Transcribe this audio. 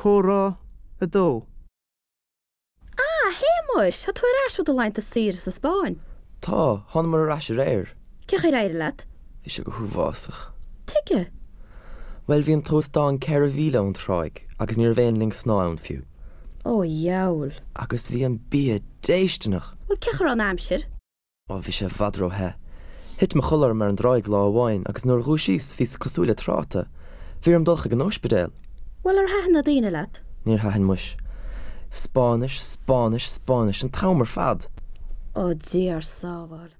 Comhrá 2. Ah, a Shéamuis, tá tú ar ais ó do laethanta saoire sa Spáinn. Tá, thánamar ar ais aréir. Cén chaoi ar éirigh leat? Bhí sé go huafásach. Tuige? Bhuel, bhí an t-óstán 4 mhíle ón tráigh agus ní raibh aon linn snámha ann fiú. Ó, dheabhail. Agus bhí an bia déistineach! Bhuel, cén chaoi a raibh an aimsir? Ó, bhí sé i bhfad ró-the. Thit mo chodladh orm ar an dtráigh lá amháin agus nuair a dhúisíos bhíos cosúil le tráta. Bhí orm dul chuig an óispidéal. Bhuel, ar thaitin na daoine leat? Níor thaitin muis. Spáinnis, Spáinnis, Spáinnis an t-am ar fad! Ó, Dia ár sábháil.